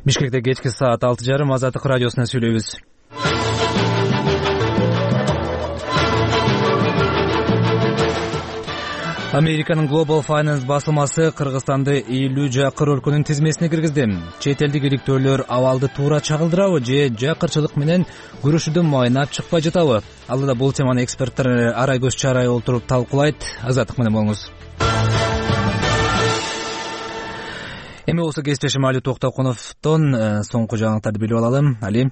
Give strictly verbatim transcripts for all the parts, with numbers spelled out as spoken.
Бишкекте кечки саат алты жарым Азаттык радиосунан сүйлөйбүз. Американын Global Finance басылмасы Кыргызстанды элүү жакыр өлкөнүн тизмесине киргизди. Чет элдик иликтөөлөр абалды туура чагылдырабы же жакырчылык менен күрөшүүдөн майнап чыкпай жатабы? Алда бул теманы эксперттер арай көз чарай олтуруп талкуулайт. Азаттык менен болуңуз. Эми болсо кесиптешим Али Токтокуновдон соңку жаңылыктарды билип алалы. Али.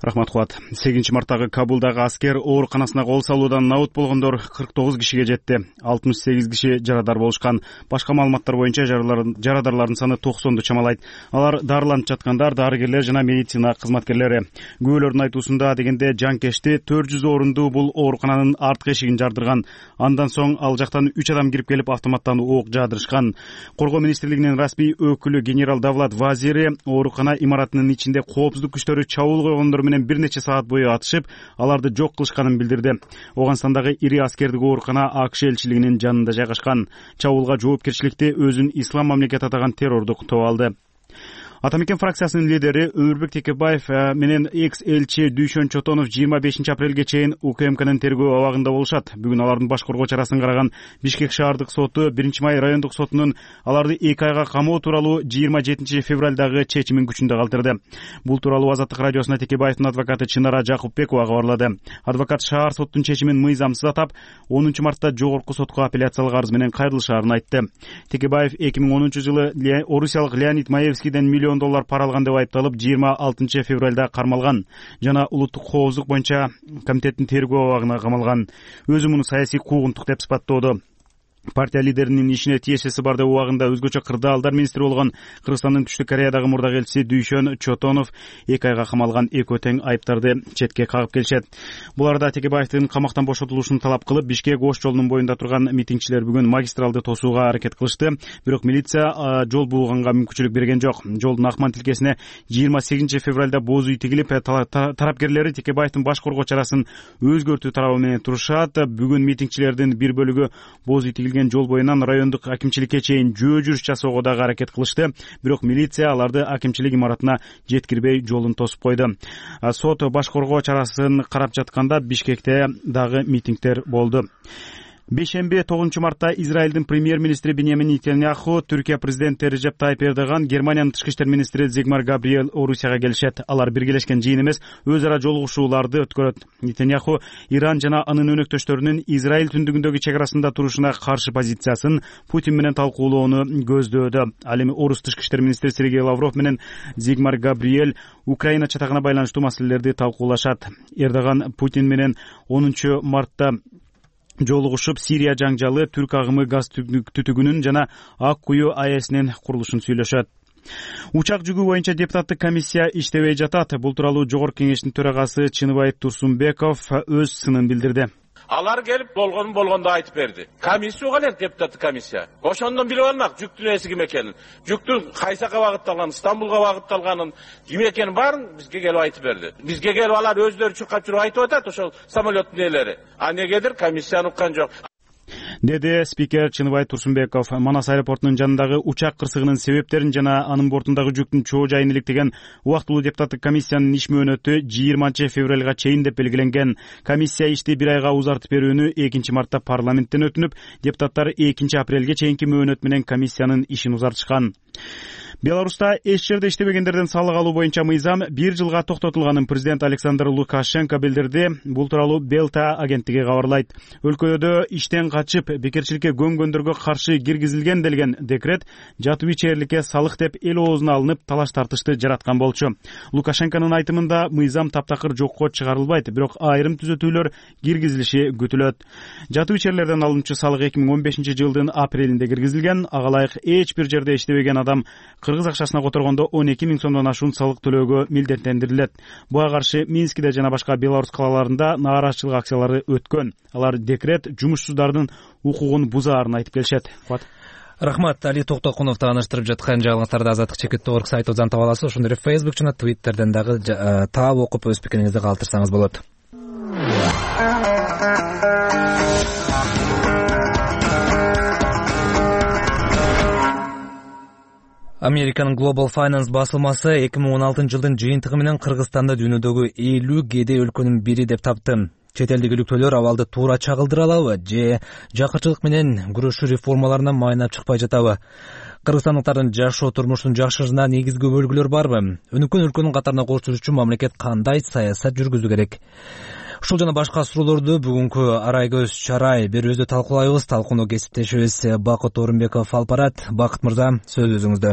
Рахмат Кубат. сегизинчи марттагы Кабулдагы аскер ооруканасына кол салуудан набыт болгондор кырк тогуз кишиге жетти. алтымыш сегиз киши жарадар болушкан. Башка маалыматтар боюнча жарадарлардын саны токсонду чамалайт. Алар дарыланып жаткандар, дарыгерлер жана медицина кызматкерлери. Күбөлөрдүн айтуусунда дегенде жанкешти төрт жүз орунду бул оорукананын арткы эшигин жардырган. Андан соң ал жактан үч адам кирип келип автоматтан ок жаадырышкан. Коргоо министрлигинин расмий өкүлү генерал Давлат Вазири оорукана имаратынын ичинде коопсуздук күчтөрү чабуул койгондор менен бир нече саат бою атышып, аларды жок кылышканын билдирди. Оганстандагы ири аскердик оорукана АКШ элчилигинин жанында жайгашкан. Чабуулга жоопкерчиликти өзүн ислам мамлекети атаган террордук топ алды. Атамекен фракциясынын лидери Өмүрбек Текебаев менен экс-элчи Дүйшөн Чотонов жыйырма бешинчи апрелге чейин УКМКнын тергөө абагында болушат. Бүгүн алардын баш коргоо чарасын караган Бишкек шаардык соту биринчи май райондук сотунун аларды эки айга камоо тууралуу жыйырма жетинчи февралдагы чечимин күчүндө калтырды. Бул тууралуу Азаттык радиосуна Текебаевдин адвокаты Чынара Жакупбекова кабарлады. Адвокат шаар соттун чечимин мыйзамсыз атап, онунчу мартта жогорку сотко апелляциялык арыз менен кайрылышаарын айтты. Текебаев эки миң онунчу жылы орусиялык Леонид Маевскийден миллион доллар пара алган деп айыпталып, жыйырма алтынчы февралда кармалган жана улуттук коопсуздук боюнча комитеттин тергөө абагына камалган. Өзү муну саясий куугунтук деп сыпаттоодо. Партия лидеринин ишине тиешеси бар деп убагында өзгөчө кырдаалдар министри болгон Кыргызстандын Түштүк Кореядагы мурдак элчиси Дүйшөн Чотонов эки айга камалган экөө тең айыптарды четке кагып келишет. Буларда Текебаевдин камактан бошотулушун талап кылып, Бишкек Ош жолунун боюнда турган митингчилер бүгүн магистралды тосууга аракет кылышты. Бирок милиция жол бууганга мүмкүнчүлүк берген жок. Жолдун акман тилкесине жыйырма сегизинчи февралда боз үй тигилип, тарапкерлери Текебаевдин баш коргоо чарасын өзгөртүү тарабы менен турушат. Бүгүн митингчилердин бир бөлүгү боз үй тигилген жол боюнан райондук акимчиликке чейин жөө жүрүш жасоого дагы аракет кылышты. Бирок милиция аларды акимчилик имаратына жеткирбей жолун тосуп койду. Сот баш коргоо чарасын карап жатканда Бишкекте дагы митингдер болду. Бейшемби тогузунчу мартта Израилдин премьер-министри Биньямин Нетаньяху, Түркия президенти Режеп Тайип Эрдоган, Германиянын тышкы иштер министри Зигмар Габриэл Орусияга келишет. Алар биргелешкен жыйын эмес, өз ара жолугушууларды өткөрөт. Нетаньяху Иран жана анын өнөктөштөрүнүн Израиль түндүгүндөгү чек арасында турушуна каршы позициясын Путин менен талкуулоону көздөөдө. Ал эми Орус тышкы иштер министри Сергей Лавров менен Зигмар Габриэл Украина чатагына байланыштуу маселелерди талкуулашат. Эрдоган Путин менен онунчу мартта жолугушуп, Сирия жаңжалы, Түрк агымы газ түтүгүнүн жана Ак кую АЭСинин курулушун сүйлөшөт. Учак жүгүү боюнча депутаттык комиссия иштебей жатат. Бул тууралуу Жогорку кеңештин төрагасы Чыныбай Турсунбеков өз сынын билдирди. Алар келип болгон болгондо айтып берди. Комиссия келет, депутаттык комиссия. Ошондон билип алмак жүктүн эси ким экенин. Жүктүн кайсакка багытталганын, Стамбулга багытталганын, ким экенин баарын бизге келип айтып берди. Бизге келип алар өздөрү чуркап жүрүп айтып атат ошол самолеттин ээлери. А негедир комиссияны уккан жок. Деди спикер Чыныбай Турсунбеков. Манас аэропортунун жанындагы учак кырсыгынын себептерин жана анын бортундагы жүктүн чоо жайын иликтеген убактылуу депутаттык комиссиянын иш мөөнөтү жыйырманчы февралга чейин деп белгиленген. Комиссия ишти бир айга узартып берүүнү экинчи мартта парламенттен өтүнүп, депутаттар экинчи апрелге чейинки мөөнөт менен комиссиянын ишин узартышкан. Беларуста эч жерде иштебегендерден салык алуу боюнча мыйзам бир жылга токтотулганын президент Александр Лукашенко билдирди. Бул тууралуу Белта агенттиги кабарлайт. Өлкөдө иштен качып бекерчиликке көнгөндөргө каршы киргизилген делген декрет жатуу ичээрликке салык деп эл оозуна алынып талаш тартышты жараткан болчу. Лукашенконун айтымында мыйзам таптакыр жокко чыгарылбайт, бирок айрым түзөтүүлөр киргизилиши күтүлөт. Жатуу ичээрлерден алынчу салык эки миң он бешинчи жылдын апрелинде киргизилген. Ага ылайык эч бир жерде иштебеген адам кыргыз акчасына которгондо он эки миң сомдон ашуун салык төлөөгө милдеттендирилет. Буга каршы Минскиде жана башка Беларусь калаларында нааразычылык акциялары өткөн. Алар декрет жумушсуздардын укугун бузаарын айтып келишет. Рахмат. Али Токтокунов тааныштырып жаткан жаңылыктарды Азаттык чекит точка орг сайтыбыздан таба аласыз. Ошондой эле Facebook жана Twitterден дагы таап окуп өз пикириңизди калтырсаңыз болот. Американын Global Finance басылмасы эки миң он алтынчы жылдын жыйынтыгы менен Кыргызстанды дүйнөдөгү элүү кедей өлкөнүн бири деп тапты. Чет элдик иликтөөлөр абалды туура чагылдыра алабы же жакырчылык менен күрөшүү реформаларына майнап чыкпай жатабы? Кыргызстандыктардын жашоо турмушунун жакшырышына негизги бөлгүлөр барбы? Өнүккөн өлкөнүн катарына кошулуш үчүн мамлекет кандай саясат жүргүзүү керек? Ушул жана башка суроолорду бүгүнкү Арайгөз Чарай берүүбүздө талкуулайбыз. Талкууну кесиптешибиз Бакыт Орунбеков алып барат. Бакыт мырза, сөз өзүңүздө.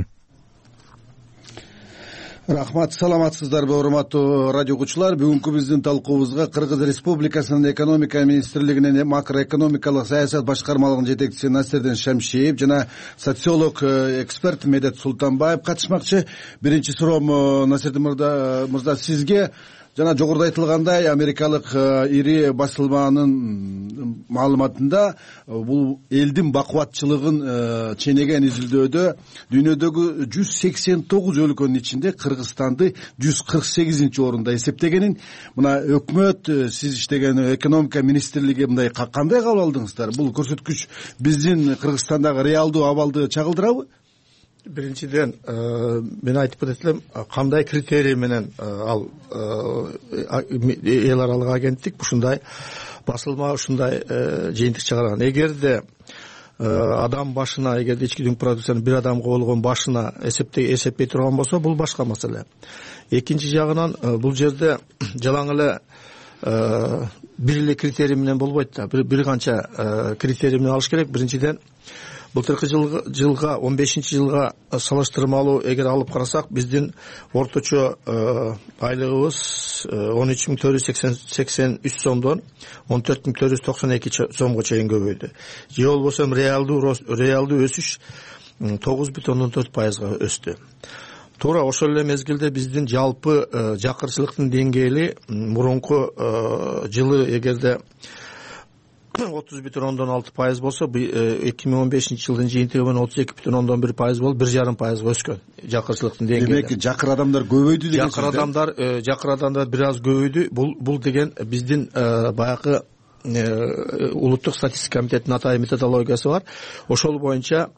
Рахмат, саламатсыздарбы урматтуу радио угуучулар. Бүгүнкү биздин талкуубузга Кыргыз Республикасынын экономика министрлигинин макроэкономикалык саясат башкармалыгынын жетекчиси Насирдин Шамшиев жана социолог эксперт Медет Султанбаев катышмакчы. Биринчи суроом Насирдин мырза сизге. Жана жогоруда айтылгандай, америкалык ири басылманын маалыматында бул элдин бакубатчылыгын ченеген изилдөөдө дүйнөдөгү жүз сексен тогуз өлкөнүн ичинде Кыргызстанды жүз кырк сегизинчи орунда эсептегенин, мына өкмөт, сиз иштеген экономика министрлиги мындай кандай кабыл алдыңыздар? Бул көрсөткүч биздин Кыргызстандагы реалдуу абалды чагылдырабы? Биринчиден мен айтып кетет элем, кандай критерий менен ал эл аралык агенттик ушундай басылма ушундай жыйынтык чыгарган. Эгерде адам башына, эгерде ички дүң продукциянын бир адамга болгон башына эсептей турган болсо, бул башка маселе. Экинчи жагынан бул жерде жалаң эле бир эле критерий менен болбойт да. Бир канча критерий менен алыш керек. Биринчиден, былтыркы жылга он бешинчи жылга салыштырмалуу эгер алып карасак, биздин орточо айлыгыбыз он үч миң төрт жүз сексен үч сомдон он төрт миң төрт жүз токсон эки сомго чейин көбөйдү. Же болбосо реалдуу реалдуу өсүш тогуз бүтүн ондон төрт пайызга өстү. Туура ошол эле мезгилде биздин жалпы жакырчылыктын деңгээли мурунку жылы эгерде отуз бүтүн ондон алты пайыз болсо, эки миң он бешинчи жылдын жыйынтыгы менен отуз эки бүтүн ондон бир пайыз болуп, бир жарым пайызга өскөн жакырчылыктын деңгээли. Демек, жакыр адамдар көбөйдү деген сөз. Жакыр адамдар, жакыр адамдар бир аз көбөйдү. Бул бул деген биздин баягы улуттук статистика комитетинин атайын методологиясы бар. Ошол боюнча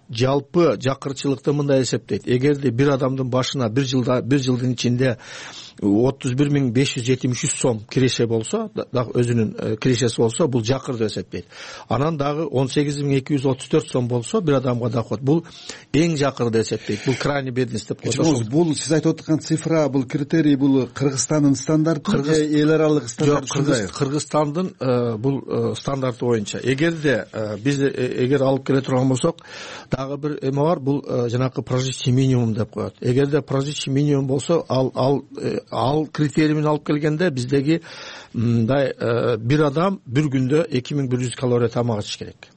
жалпы жакырчылыкты мындай эсептейт. Эгерде бир адамдын башына бир жылда бир жылдын ичинде отуз бир миң беш жүз жетимиш үч сом киреше болсо, дагы өзүнүн кирешеси болсо, бул жакыр деп эсептейт. Анан дагы он сегиз миң эки жүз отуз төрт сом болсо, бир адамга доход, бул эң жакыр деп эсептейт. Бул крайний бедность деп коет. Бул сиз айтып аткан цифра, бул критерий, бул Кыргызстандын стандарты же эл аралык стандарт? Жок, Кыргызстандын бул стандарты боюнча. Эгерде биз эгер алып келе турган болсок, дагы бир эме бар, бул жанакы прожиточный минимум деп коет. Эгерде прожиточный минимум болсо, ал ал ал критерий менен алып келгенде биздеги мындай бир адам бир күндө эки миң бир жүз калория тамак ичиш керек.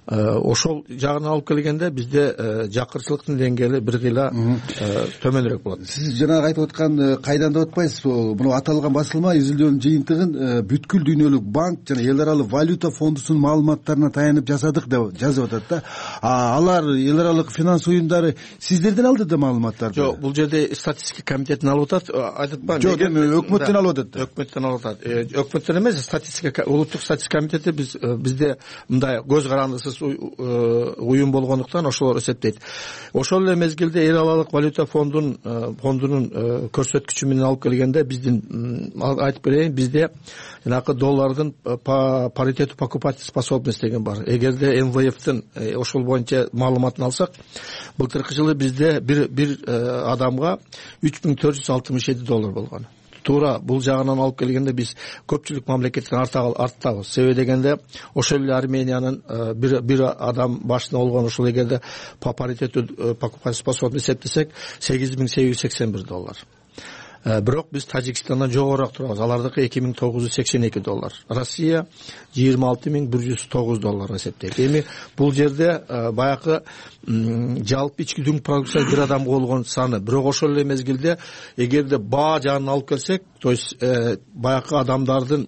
Ошол жагына алып келгенде бизде жакырчылыктын деңгээли бир кыйла төмөнүрөөк болот. Сиз жанагы айтып аткан кайдан деп атпайсызбы? Муну аталган басылма изилдөөнүн жыйынтыгын бүткүл дүйнөлүк банк жана эл аралык валюта фондусунун маалыматтарына таянып жасадык деп жазып атат да. Алар эл аралык финанс уюмдары сиздерден алды да маалыматтарды? Жок, бул жерде статистика комитетинен алып атат, айтып атпаймынбы? Жок, эми өкмөттөн алып атат. Өкмөттөн алып атат. Өкмөттөн эмес, статистика улуттук статистика комитети биз бизде мындай көз карандысыз уюм болгондуктан ошолор эсептейт. Ошол эле мезгилде эл аралык валюта фондунун фондунун көрсөткүчү менен алып келгенде биздин айтып берейин, бизде жанакы доллардын паритету покупательской способности деген бар. Эгерде эм вэ эфтин ошол боюнча маалыматын алсак, былтыркы жылы бизде бир бир адамга үч миң төрт жүз алтымыш жети доллар болгон. Туура бул жагынан алып келгенде биз көпчүлүк мамлекеттен арттабыз. Себеби дегенде ошол эле Армениянын бир бир адам башына болгон ошол эгерде по паритету покупательской способности эсептесек сегиз миң сегиз жүз сексен бир доллар. Бирок биз Тажикстандан жогорураак турабыз. Алардыкы эки миң тогуз жүз сексен эки доллар. Россия жыйырма алты миң бир жүз тогуз доллар эсептейт. Эми бул жерде баягы жалпы ички дүң продукция бир адамга болгон саны. Бирок ошол эле мезгилде эгерде баа жагын алып келсек, то есть баягы адамдардын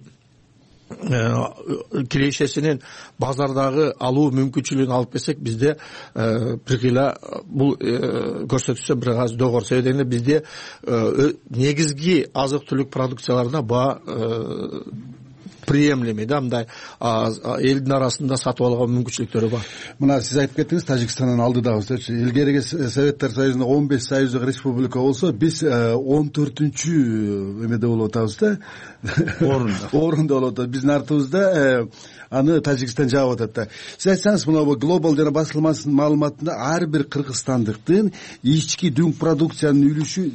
кирешесинин базардагы алуу мүмкүнчүлүгүн алып келсек, бизде бир кыйла бул көрсөтүшсө бир аз догор. Себеби дегенде бизде негизги азык түлүк продукцияларына баа приемлемый да, мындай элдин арасында сатып алган мүмкүнчүлүктөрү бар. Мына сиз айтып кеттиңиз, Тажикстандын алдыдабызчы. Илгерки Советтер Союзунда он беш союздук республика болсо, биз он төртүнчү эмеде болуп атабыз да. Орунда. Орунда болуп атат. Биздин артыбызда аны Тажикстан жаап атат да. Сиз айтсаңыз, мына бул глобал жана басылмасынын маалыматында ар бир кыргызстандыктын ички дүң продукциянын үлүшү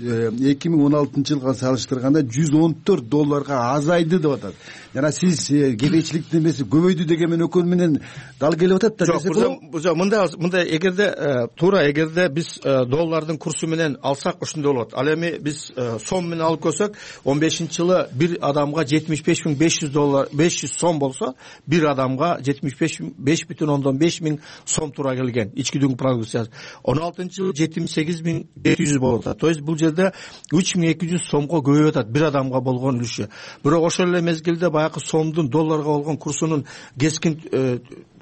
эки миң он алтынчы жылга салыштырганда жүз он төрт долларга азайды деп атат. Жана сиз кедейчиликтин эмеси көбөйдү деген өкөн менен дал келип атат да. Жок, мындай мындай эгерде туура эгерде биз доллардын курсу менен алсак ошондой болот. Ал эми биз сом менен алып көрсөк, он бешинчи жылы бир адамга жетимиш беш миң беш жүз доллар, беш жүз сом болсо, бир адамга жетимиш беш бүтүн ондон беш миң сом туура келген ички дүң продукциясы. он алтынчы жылы жетимиш сегиз миң жети жүз болуп атат. То есть бул жерде үч миң эки жүз сомго көбөйүп атат бир адамга болгон үлүшү. Бирок ошол эле мезгилде баягы сомдун долларга болгон курсунун кескин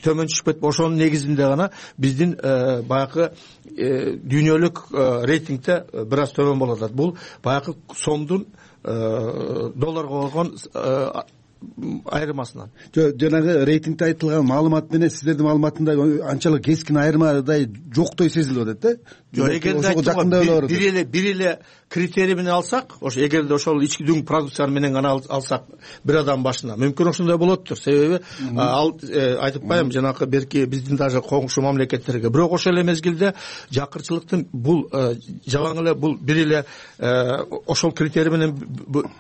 төмөн түшүп кетип, ошонун негизинде гана биздин баягы дүйнөлүк рейтингде бир аз төмөн болуп атат. Бул баягы сомдун долларга болгон айырмасынан. Жанагы рейтингде айтылган маалымат менен сиздердин маалыматында анчалык кескин айырмадай жоктой сезилип атат да. Жок, эгерде бир эле бир эле критерий менен алсак, ошо эгерде ошол ички дүң продукциялар менен гана алсак бир адам башына, мүмкүн ошондой болоттур. Себеби ал айтып коем, жанакы берки биздин даже коңшу мамлекеттерге. Бирок ошол эле мезгилде жакырчылыктын бул жалаң эле бул бир эле ошол критерий менен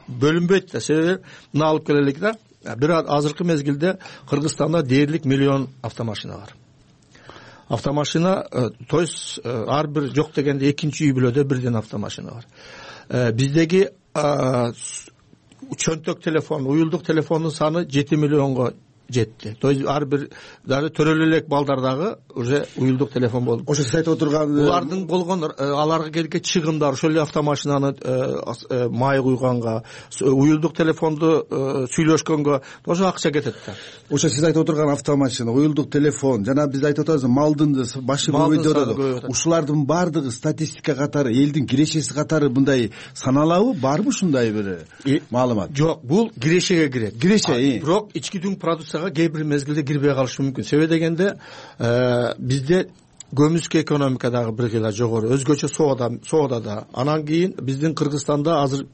бөлүнбөйт да. Себеби мына алып келелик да, бир азыркы мезгилде Кыргызстанда дээрлик миллион автомашина бар. Автомашина, то есть ар бир жок дегенде экинчи үй бүлөдө бирден автомашина бар. Биздеги чөнтөк телефон, уюлдук телефондун саны жети миллионго жетти. То есть ар бир даже төрөлө элек балдардагы уже уюлдук телефон болду. Ошо сиз айтып отурган булардын болгон аларга келген чыгымдар, ошол эле автомашинаны май куйганга, уюлдук телефонду сүйлөшкөнгө ошо акча кетет да. Ошо сиз айтып отурган автомашина, уюлдук телефон, жана биз айтып атабыз малдын башы көбөйдү. Ушулардын баардыгы статистика катары, элдин кирешеси катары мындай саналабы, барбы ушундай бир маалымат? Жок, бул кирешеге кирет. Киреше, бирок ички дүң продукция кээ бир мезгилде кирбей калышы мүмкүн. Себеби дегенде бизде көмүскө экономика дагы бир кыйла жогору, өзгөчө соода соодада. Анан кийин биздин Кыргызстанда азыр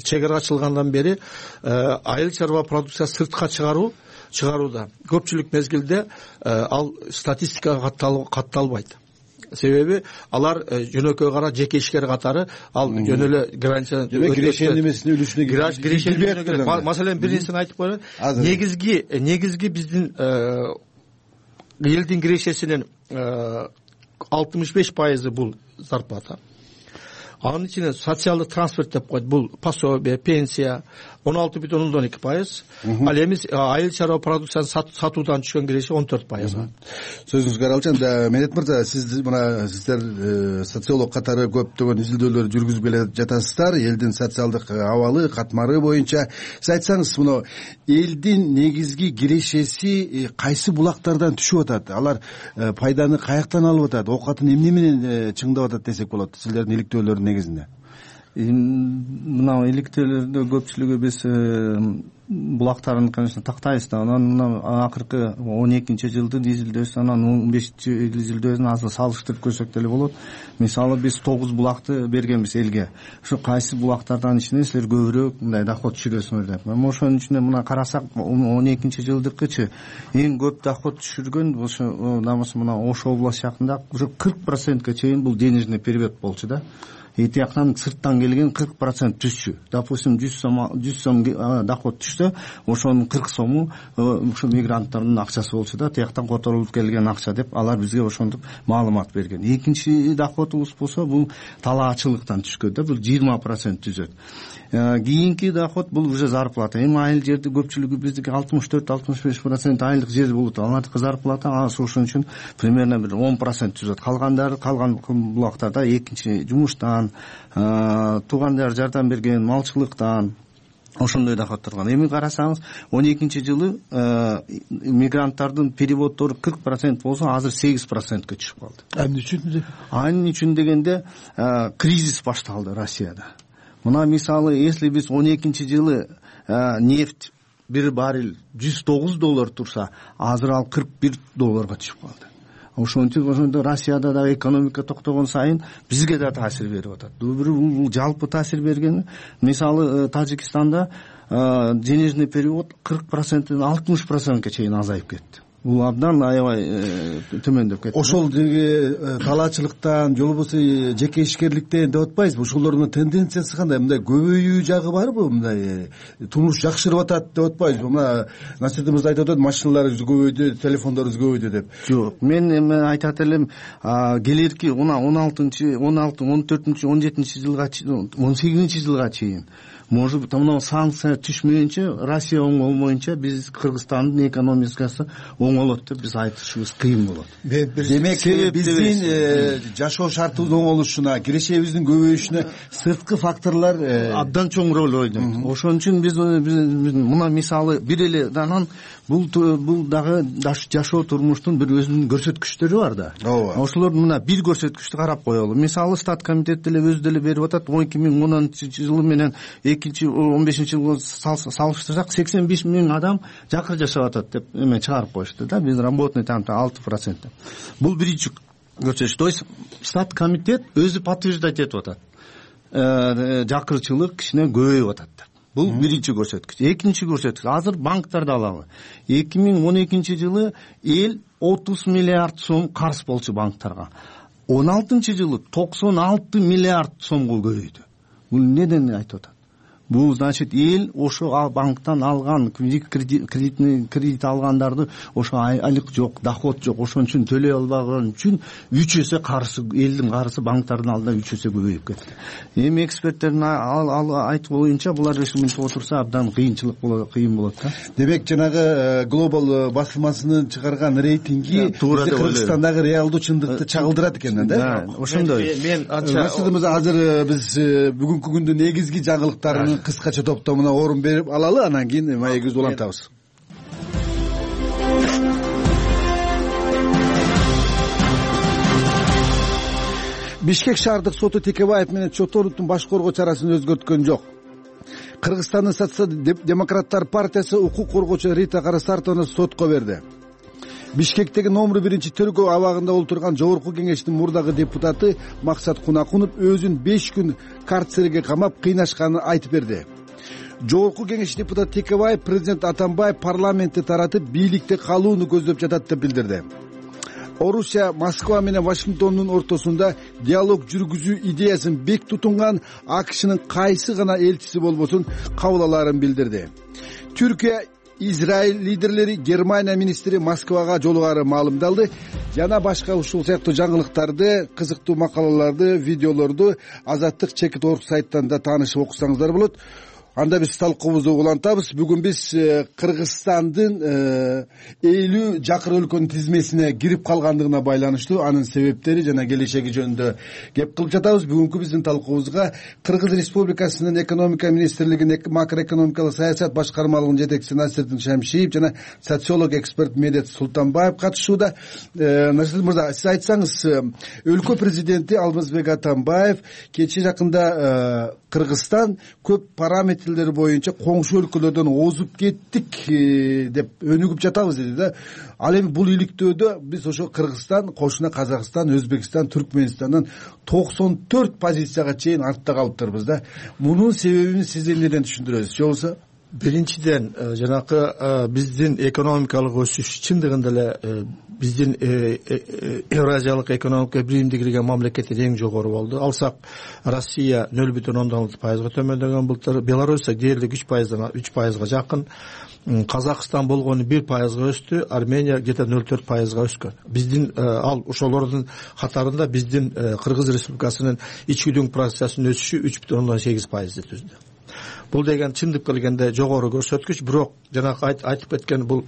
чегара ачылгандан бери айыл чарба продукциясы сыртка чыгаруу чыгарууда. Көпчүлүк мезгилде ал статистикага катталбайт. Себеби алар жөнөкөй кара жеке ишкер катары ал жөн эле граница кирешенин эмесине үлүшүнө кирет. Маселен бир нерсени айтып коеюн. Негизги негизги биздин элдин кирешесинин алтымыш беш пайызы бул зарплата. Анын ичинде социалдык трансферт деп коет, бул пособие, пенсия он алты бүтүн ондон эки пайыз. Ал эми айыл чарба продукциясын сатуудан түшкөн киреше он төрт пайыз. Сөзүңүзгө аралчан, Медет мырза, сиз мына сиздер социолог катары көптөгөн изилдөөлөр жүргүзүп келе жатасыздар, элдин социалдык абалы, катмары боюнча. Сиз айтсаңыз, мына элдин негизги кирешеси кайсы булактардан түшүп атат? Алар пайданы каяктан алып атат? Оокатын эмне менен чыңдап атат десек болот, сиздердин иликтөөлөрдүн негизинде? Мына иликтөөлөрдө көпчүлүгү биз булактарын, конечно, тактайбыз да. Анан мына акыркы он экинчи жылдын изилдөөсү, анан он бешинчи изилдөөсүн азыр салыштырып көрсөк деле болот. Мисалы биз тогуз булакты бергенбиз элге. Ушу кайсы булактардан ичинен силер көбүрөөк мындай доход түшүрөсүңөр деп. Ошонун ичинде мына карасак он экинчи жылдыкычы эң көп доход түшүргөн ошо намысы мына Ош областы жакында уже кырк процентке чейин бул денежный перевод болчу да. И тияктан сырттан келген кырк процент түшчү. Допустим, жүз сом жүз сом доход түшсө, ошонун кырк сому ушу мигранттардын акчасы болчу да, тияктан которулуп келген акча деп алар бизге ошондук маалымат берген. Экинчи доходубуз болсо, бул талаачылыктан түшкөн да, бул жыйырма процент түзөт. Кийинки доход бул уже зарплата. Эми айыл жерде көпчүлүгү биздики алтымыш төрт алтымыш беш процент айылдык жер болот. Алардыкы зарплата ошон үчүн примерно бир он процент түзөт. Калгандары калган булактарда экинчи жумуштан, туугандар жардам берген, малчылыктан ошондой доход турган. Эми карасаңыз, он экинчи жылы мигранттардын переводдору кырк процент болсо, азыр сегиз процентке түшүп калды. Эмне үчүн? Анын үчүн дегенде кризис башталды Россияда. Мына мисалы, если биз он экинчи жылы нефть бир баррель жүз тогуз доллар турса, азыр ал кырк бир долларга түшүп калды. Ошентип ошондо Россияда да экономика токтогон сайын бизге да таасир берип атат. Бул жалпы таасир бергени, мисалы Тажикстанда денежный перевод кырк проценттен алтымыш процентке чейин азайып кетти. Бул абдан аябай төмөндөп кетти. Ошол деги талаачылыктан же болбосо жеке ишкерликтен деп атпайбызбы? Ошолордун тенденциясы кандай? Мындай көбөйүү жагы барбы? Мындай турмуш жакшырып атат деп атпайбызбы? Мына Насирдин мырза айтып атат, машиналарыбыз көбөйдү, телефондорубуз көбөйдү деп. Жок, мен эми айтат элем, келерки он алтынчы, он алты, он төртүнчү, он жетинчи жылга, он сегизинчи жылга чейин может быть, мына санкция түшмөйүнчө, Россия оңолмоюнча биз Кыргызстандын экономикасы оңолот деп биз айтышыбыз кыйын болот. Демек, биздин жашоо шартыбыз оңолушуна, кирешегибиздин көбөйүшүнө сырткы факторлор абдан чоң роль ойнойт. Ошон үчүн биз мына мисалы бир эле данан бул бул дагы жашоо турмуштун бир өзүнүн көрсөткүчтөрү бар да. Ошолор мына бир көрсөткүчтү карап коелу. Мисалы Стат комитети деле өзү деле берип атат, эки миң онунчу жылы менен экинчи он бешинчи жылга салыштырсак сексен беш миң адам жакыр жашап атат деп эме чыгарып коюшту да. Биз работный тамда алты процент. Бул биринчи көрсөткүч. То есть Стат комитет өзү подтверждать этип атат. Жакырчылык кичине көбөйүп атат деп. Бул биринчи көрсөткүч. Экинчи көрсөткүч. Азыр банктарды алалы. эки миң он экинчи жылы эл отуз миллиард сом карыз болчу банктарга. он алтынчы жылы токсон алты миллиард сомго көбөйдү. Бул неден айтып атат? Бул значит эл ошо банктан алган кредитный кредит алгандарды ошо айлык жок, доход жок, ошон үчүн төлөй албаган үчүн үч эсе карызы, элдин карызы банктардын алдында үч эсе көбөйүп кетти. Эми эксперттердин айтуу боюнча булар решиминде отурса абдан кыйынчылык болот, кыйын болот да. Демек, жанагы глобал басылмасынын чыгарган рейтинги Кыргызстандагы реалдуу чындыкты чагылдырат экен да. Ошондой. Мен анча азыр биз бүгүнкү күндүн негизги жаңылыктарын кыскача топтомуна орун берип алалы, анан кийин маегибизди улантабыз. Бишкек шаардык соту Текебаев менен Чотоновдун баш коргоо чарасын өзгөрткөн жок. Кыргызстандын социал-демократтар партиясы укук коргоочу Рита Карасартованы сотко берди. Бишкектеги номер биринчи тергөө абагында отурган жогорку кеңештин мурдагы депутаты Максат Кунакунов өзүн беш күн карцерге камап кыйнашканын айтып берди. Жогорку кеңеш депутаты Текебаев президент Атамбаев парламентти таратып бийликте калууну көздөп жатат деп билдирди. Орусия Москва менен Вашингтондун ортосунда диалог жүргүзүү идеясын бек тутунган АКШнын кайсы гана элчиси болбосун кабыл алаарын билдирди. Түркия Израиль лидерлери Германия министри Москвага жолугаары маалымдалды. Жана башка ушул сыяктуу жаңылыктарды, кызыктуу макалаларды, видеолорду Азаттык чекит орг сайттан да таанышып окусаңыздар болот. Анда биз талкуубузду улантабыз. Бүгүн биз Кыргызстандын элүү жакыр өлкөнүн тизмесине кирип калгандыгына байланыштуу анын себептери жана келечеги жөнүндө кеп кылып жатабыз. Бүгүнкү биздин талкуубузга Кыргыз Республикасынын экономика министрлигинин макроэкономикалык саясат башкармалыгынын жетекчиси Насирдин Шамшиев жана социолог эксперт Медет Султанбаев катышууда. Насирдин мырза, сиз айтсаңыз, өлкө президенти Алмазбек Атамбаев кечээ жакында Кыргызстан көп параметрлер боюнча коңшу өлкөлөрдөн озуп кеттик деп өнүгүп жатабыз деди да. Ал эми бул иликтөөдө биз ошо Кыргызстан, кошуна Казакстан, Өзбекстан, Түркменистандан токсон төрт позицияга чейин артта калыптырбыз да. Мунун себебин сиз эмнеден түшүндүрөсүз? Же болбосо биринчиден жанакы биздин экономикалык өсүш чындыгында эле биздин Евразиялык экономика биримдиги кирген мамлекеттер эң жогору болду. Алсак Россия нөл бүтүн ондон алты пайызга төмөндөгөн былтыр, Белоруссия дээрлик үч пайыздан үч пайызга жакын, Казакстан болгону бир пайызга өстү, Армения где-то нөл төрт пайызга өскөн. Биздин ал ошолордун катарында биздин Кыргыз Республикасынын ичкүдүң процессинин өсүшү үч бүтүн ондон сегиз пайызды түздү. Бул деген чындык келгенде жогору көрсөткүч, бирок жанагы айтып кеткен бул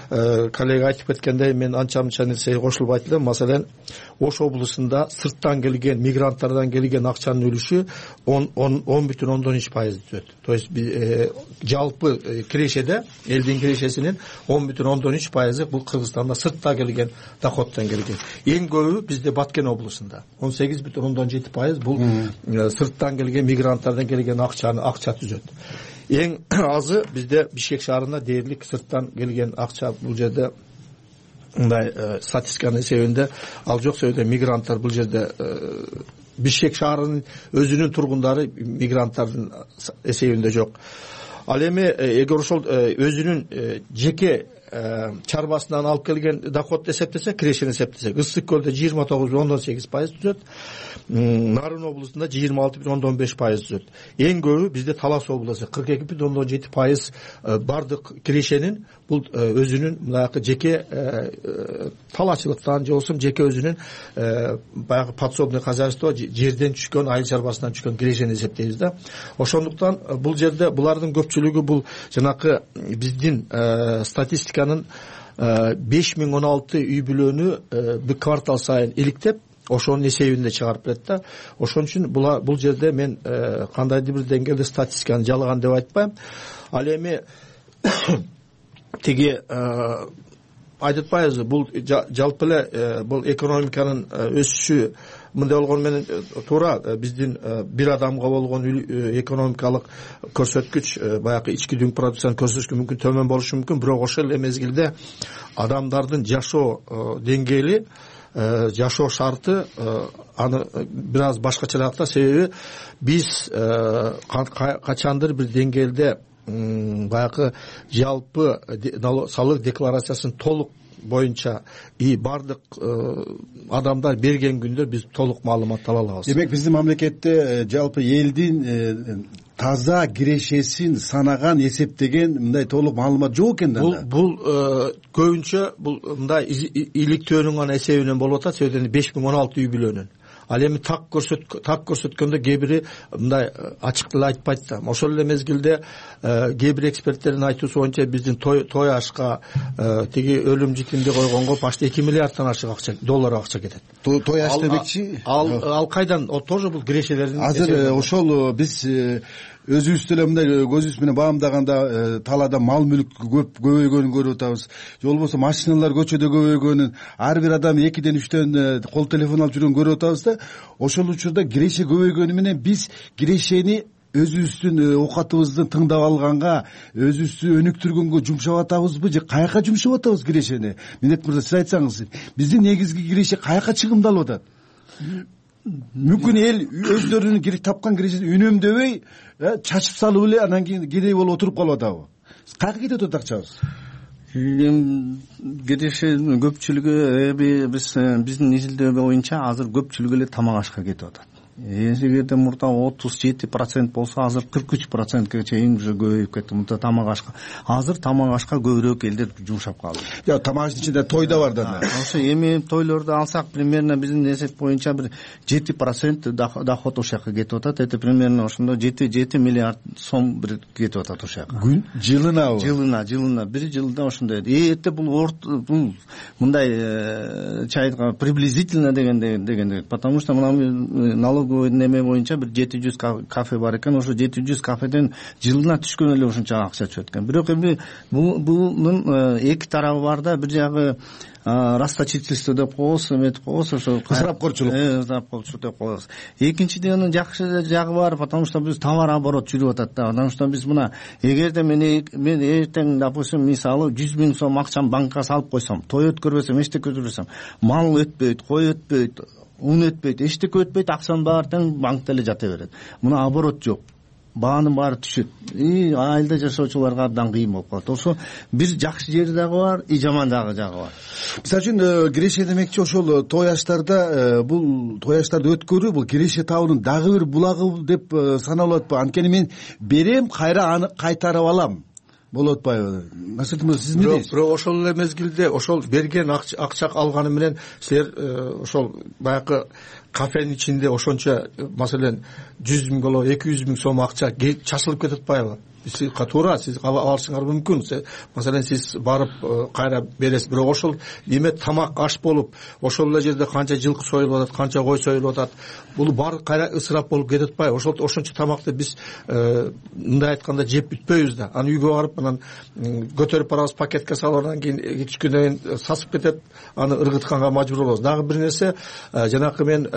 коллега айтып кеткендей мен анча мынча нерсе кошулуп айтылды. Маселен, Ош облусунда сырттан келген мигранттардан келген акчанын үлүшү он бүтүн ондон үч пайызды түзөт. То есть жалпы кирешеде элдин кирешесинин он бүтүн ондон үч пайызы бул Кыргызстанда сыртта келген доходдон келген. Эң көбү бизде Баткен облусунда он сегиз бүтүн ондон жети пайыз бул сырттан келген мигранттардан келген акчаны акча түзөт. эң азы бизде Бишкек шаарында дээрлик сырттан келген акча. Бул жерде мындай статистиканын эсебинде ал жок себептен мигранттар бул жерде Бишкек шаарынын өзүнүн тургундары мигранттардын эсебинде жок. Ал эми эгер ошол өзүнүн жеке чарбасынан алып келген доходду эсептесек, кирешени эсептесек, Ысык көлдө жыйырма тогуз бүтүн ондон сегиз пайыз түзөт, Нарын облусунда жыйырма алты бүтүн ондон беш пайыз түзөт. Эң көбү бизде Талас облусу кырк эки бүтүн ондон жети пайыз бардык кирешенин бул өзүнүн мынакы жеке талаачылыктан же болбосо жеке өзүнүн баягы подсобный хозяйство жерден түшкөн, айыл чарбасынан түшкөн кирешени эсептейбиз да. Ошондуктан бул жерде булардын көпчүлүгү бул жанакы биздин статистика беш миң он алты үй бүлөнү бир квартал сайын иликтеп, ошонун эсебинде чыгарып берет да. Ошон үчүн бул жерде мен кандайдыр бир деңгээлде статистиканы жалган деп айтпайм. Ал эми тиги айтып атпайбызбы, бул жалпы эле бул экономиканын өсүшү мындай болгону менен туура биздин бир адамга болгон экономикалык көрсөткүч баягы ички дүң продукцияны көрсөтүшкө мүмкүн төмөн болушу мүмкүн, бирок ошол эле мезгилде адамдардын жашоо деңгээли, жашоо шарты аны бир аз башкачараак да. Себеби биз качандыр бир деңгээлде баягы жалпы салык декларациясын толук боюнча и бардык адамдар берген күндө биз толук маалымат ала алабыз. Демек биздин мамлекетте жалпы элдин таза кирешесин санаган, эсептеген мындай толук маалымат жок экен да. Бул бул көбүнчө бул мындай иликтөөнүн гана эсебинен болуп атат, себептен беш миң он алты үй бүлөнүн. Ал эми так көрсөт так көрсөткөндө кээ бири мындай ачык деле айтпайт да. Ошол эле мезгилде кээ бир эксперттердин айтуусу боюнча биздин той той ашка тиги өлүм житимди койгонго почти эки миллиарддан ашык акча, доллар акча кетет. Той аш демекчи? Ал ал кайдан? О тоже бул кирешелердин. Азыр ошол биз өзүбүз деле мындай көзүбүз менен баамдаганда талаада мал мүлк көп көбөйгөнүн көрүп атабыз. Же болбосо машиналар көчөдө көбөйгөнүн, ар бир адам экиден үчтөн кол телефон алып жүргөнүн көрүп атабыз да. Ошол учурда киреше көбөйгөнү менен биз кирешени өзүбүздүн оокатыбызды тыңдап алганга, өзүбүздү өнүктүргөнгө жумшап атабызбы же каяка жумшап атабыз кирешени? Минет мырза, сиз айтсаңыз, биздин негизги киреше каяка чыгымдалып атат? Мүмкүн эл өздөрүнүн керек тапкан кирешесин үнөмдөбөй чачып салып эле анан кийин кедей болуп отуруп калып атабы? Каяка кетип атат акчабыз? Кирешенин көпчүлүгү эми биз биздин изилдөө боюнча азыр көпчүлүгү эле тамак ашка кетип атат. Эгерде мурда отуз жети процент болсо, азыр кырк үч процентке чейин уже көбөйүп кетти мурда тамак ашка. Азыр тамак ашка көбүрөөк элдер жумшап калды. Жок, тамак аштын ичинде той да бар да. Ошо эми тойлорду алсак, примерно биздин эсеп боюнча бир жети процент доход ошол жака кетип атат. Это примерно ошондо жети жети миллиард сом бир кетип атат ошол жака. Күн жылынабы? Жылына, жылына бир жылда ошондой. Эте бул орт бул мындай чайга приблизительно дегенде дегенде, потому что мына налог неме боюнча бир жети жүз кафе бар экен. Ошо жети жүз кафеден жылына түшкөн эле ошонча акча түшөт экен. Бирок эми бунун эки тарабы бар да. Бир жагы расточительство деп коебуз, эметип коебуз, ошо ысырапкорчулук. Э, ысырапкорчулук деп коебуз. Экинчиден жакшы жагы бар, потому что биз товар оборот жүрүп атат да. Потому что биз мына эгерде мен мен эртең, допустим, мисалы жүз миң сом акчам банкка салып койсом, той өткөрбөсөм, эчтеке өткөрбөсөм, мал өтпөйт, кой өтпөйт, ун өтпөйт, эчтеке өтпөйт, акчанын баары тең банкта эле жата берет. Мына оборот жок, баанын баары түшөт. И айылда жашоочуларга абдан кыйын болуп калат. Ошо бир жакшы жери дагы бар, и жаман дагы жагы бар. Мисалы үчүн киреше демекчи ошол той аштарда бул той аштарды өткөрүү бул киреше табуунун дагы бир булагы деп саналып атпайбы? Анткени мен берем, кайра аны кайтарып алам. Болот атпайбы? Насыртым мырза, сиз эмне дейсиз? Бирок ошол эле мезгилде ошол берген акча алганы менен силер ошол баягы кафенин ичинде ошончо, маселен, жүз миң боло эки жүз миң сом акча чачылып кетип атпайбы? Сиз туура, сиз алышыңар мүмкүн. Маселен, сиз барып кайра бересиз. Бирок ошол эме тамак аш болуп, ошол эле жерде канча жылкы союлуп атат, канча кой союлуп атат. Бул баары кайра ысырап болуп кетип атпайбы? Ошол ошончо тамакты биз мындай айтканда жеп бүтпөйбүз да. Аны үйгө барып анан көтөрүп барабыз, пакетке салып, анан кийин түшкөндөн кийин сасып кетет, аны ыргытканга мажбур болобуз. Дагы бир нерсе, жанакы мен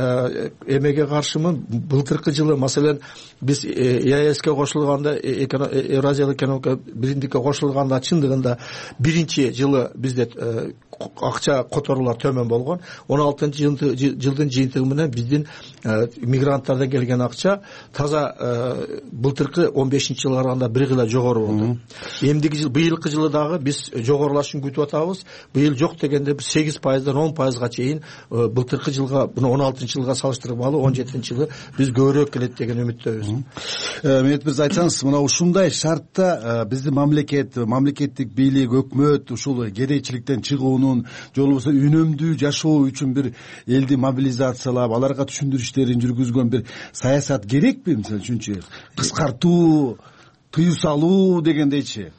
эмеге каршымын. Былтыркы жылы, маселен, биз ЕАЭСке кошулганда Евразиялык экономика биримдикке кошулганда чындыгында биринчи жылы бизде акча которуулар төмөн болгон. он алтынчы жылдын жыйынтыгы менен биздин мигранттардан келген акча таза былтыркы он бешинчи жылга караганда бир кыйла жогору болду. Эмдиги жыл, быйылкы жылы дагы биз жогорулашын күтүп атабыз. Быйыл жок дегенде биз сегиз пайыздан он пайызга чейин былтыркы жылга, буну он алтынчы жылга салыштырмалуу он жетинчи жылы биз көбүрөөк келет деген үмүттөбүз. Мехмет мырза, айтсаңыз, мына ушундай шартта биздин мамлекет, мамлекеттик бийлик, өкмөт ушул кедейчиликтен чыгуунун же болбосо үнөмдүү жашоо үчүн бир элди мобилизациялап, аларга түшүндүрүш иштерин жүргүзгөн бир саясат керекпи? Мисалы үчүнчү кыскартуу, тыюу салуу дегендейчи.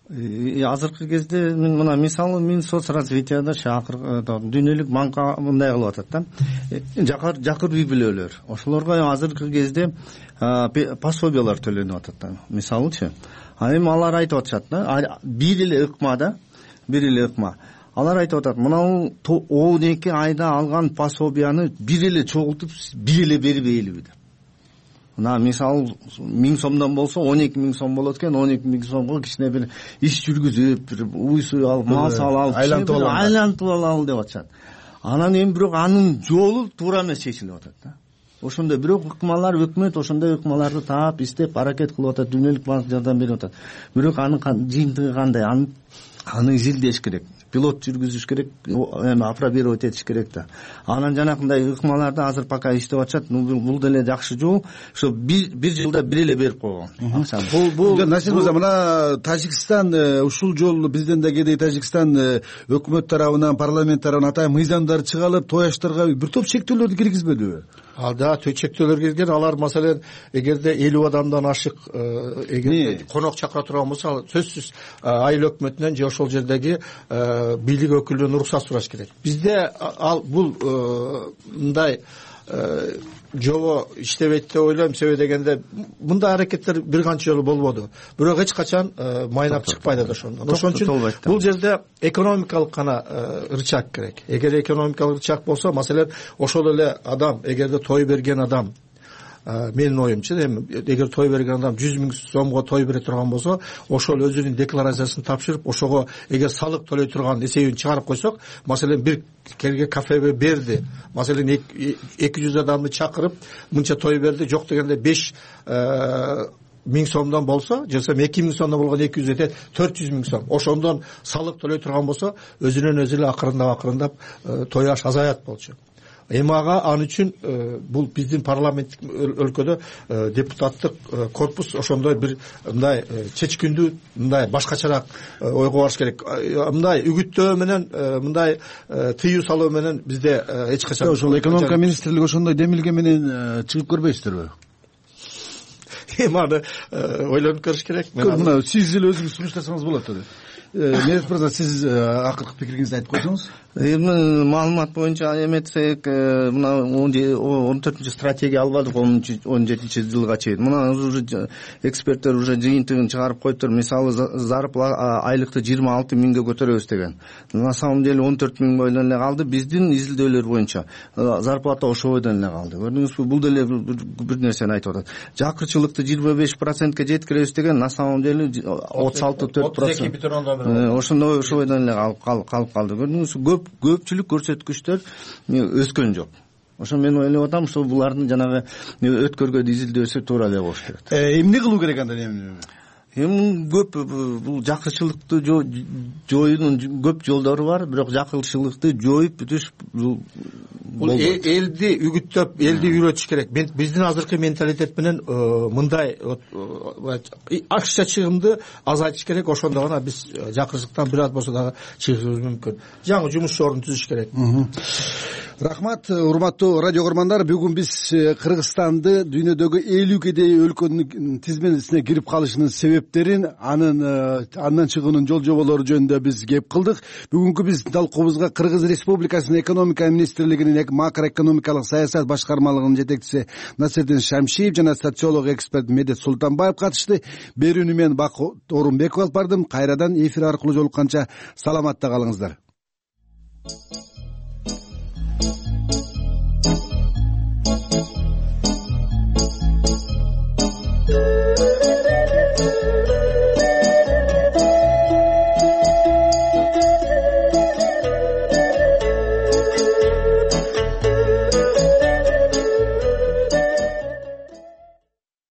Азыркы кезде мен мына мисалы мен соцразвитияда акыркы дүйнөлүк банка мындай кылып атат да. Жакыр жакыр үй бүлөлөр. Ошолорго азыркы кезде пособиялар төлөнүп атат да. Мисалычы, а эми алар айтып атышат да, бир эле ыкма да, бир эле ыкма. Алар айтып атат, мына он эки айда алган пособияны бир эле чогултуп, бир эле бербейлиби деп. Мына мисалы миң сомдон болсо он эки миң сом болот экен, он эки миң сомго кичине бир иш жүргүзүп, бир уй суй алып, мал салып, айлантып алалы деп атышат. Анан эми бирок анын жолу туура эмес чечилип атат да. Ошондой бирок ыкмалар, өкмөт ошондой ыкмаларды таап, издеп, аракет кылып атат, дүйнөлүк банк жардам берип атат. Бирок анын жыйынтыгы кандай? Аны аны изилдеш керек. Пилот жүргүзүш керек, эми апробировать этиш керек да. Анан жанакындай ыкмаларды азыр пока иштеп атышат. Бул деле жакшы жол. Ошо бир жылда бир эле берип койгон. Бул бул Насир мырза, мына Тажикстан ушул жолу бизден да кедей Тажикстан өкмөт тарабынан, парламент тарабынан атайын мыйзамдар чыгарылып, тояштарга бир топ чектөөлөрдү киргизбедиби? Ал да чектөөлөр кирген. Алар маселен эгерде элүү адамдан ашык эгерде конок чакыра турган болсо, сөзсүз айыл өкмөтүнөн же ошол жердеги бийлик өкүлүнөн уруксат сураш керек. Бизде ал бул мындай жобо иштебейт деп ойлойм. Себеби дегенде мындай аракеттер бир канча жолу болбоду. Бирок эч качан майнап чыкпайт да ошондон. Ошон үчүн бул жерде экономикалык гана рычаг керек. Эгер экономикалык рычаг болсо, маселен, ошол эле адам, эгерде той берген адам, менин оюмчу, эми эгер той берген адам жүз миң сомго той бере турган болсо, ошол өзүнүн декларациясын тапшырып, ошого эгер салык төлөй турган эсебин чыгарып койсок, маселен, бир келге кафеге берди, маселен эки жүз адамды чакырып мынча той берди, жок дегенде беш миң сомдон болсо, же болбосо эки миң сомдон болгон эки жүз этет, төрт жүз миң сом. Ошондон салык төлөй турган болсо, өзүнөн өзү эле акырындап акырындап той аш азаят болчу. Эми ага ал үчүн бул биздин парламенттик өлкөдө депутаттык корпус ошондой бир мындай чечкиндүү, мындай башкачараак ойго барыш керек. Мындай үгүттөө менен, мындай тыюу салуу менен бизде эч качан ошол экономика министрлиги ошондой демилге менен чыгып көрбөйсүздөрбү? Эми аны ойлонуп көрүш керек. Мына сиз эле өзүңүз сунуштасаңыз болот эле. Мехмет мырза, сиз акыркы пикириңизди айтып койсоңуз. Эми маалымат боюнча эметсек, мына он төртүнчү стратегия албадык он жетинчи жылга чейин. Мына уже эксперттер уже жыйынтыгын чыгарып коюптур. Мисалы, зарплата айлыкты жыйырма алты миңге көтөрөбүз деген. На самом деле он төрт миң бойдон эле калды. Биздин изилдөөлөр боюнча зарплата ошо бойдон эле калды. Көрдүңүзбү? Бул деле бир нерсени айтып атат. Жакырчылыкты жыйырма беш процентке жеткиребиз деген, на самом деле отуз алты төрт процент. Ошондой ошо бойдон эле калып калды. Көрдүңүзбү? Көп көпчүлүк көрсөткүчтөр өскөн жок. Ошо мен ойлоп атам, ошо булардын жанагы өткөргөн изилдөөсү туура эле болуш керек. Эмне кылуу керек анда? Эми эми көп бул жакырчылыкты жоюунун көп жолдору бар, бирок жакырчылыкты жоюп бүтүш бул элди үгүттөп, элди үйрөтүш керек. Биздин азыркы менталитет менен мындай акча чыгымды азайтыш керек. Ошондо гана биз жакырчылыктан бир аз болсо дагы чыгышыбыз мүмкүн. Жаңы жумуш ордун түзүш керек. Рахмат, урматтуу радио көрмандар. Бүгүн биз Кыргызстанды дүйнөдөгү элүү кедей өлкөнүн тизмесине кирип калышынын себептерин, анын андан чыгуунун жол жоболору жөнүндө биз кеп кылдык. Бүгүнкү биздин талкуубузга Кыргыз Республикасынын экономика министрлигинин макроэкономикалык саясат башкармалыгынын жетекчиси Насирдин Шамшиев жана социолог эксперт Медет Султанбаев катышты. Берүүнү мен Бак Орунбеков алып бардым. Кайрадан эфир аркылуу жолукканча саламатта калыңыздар.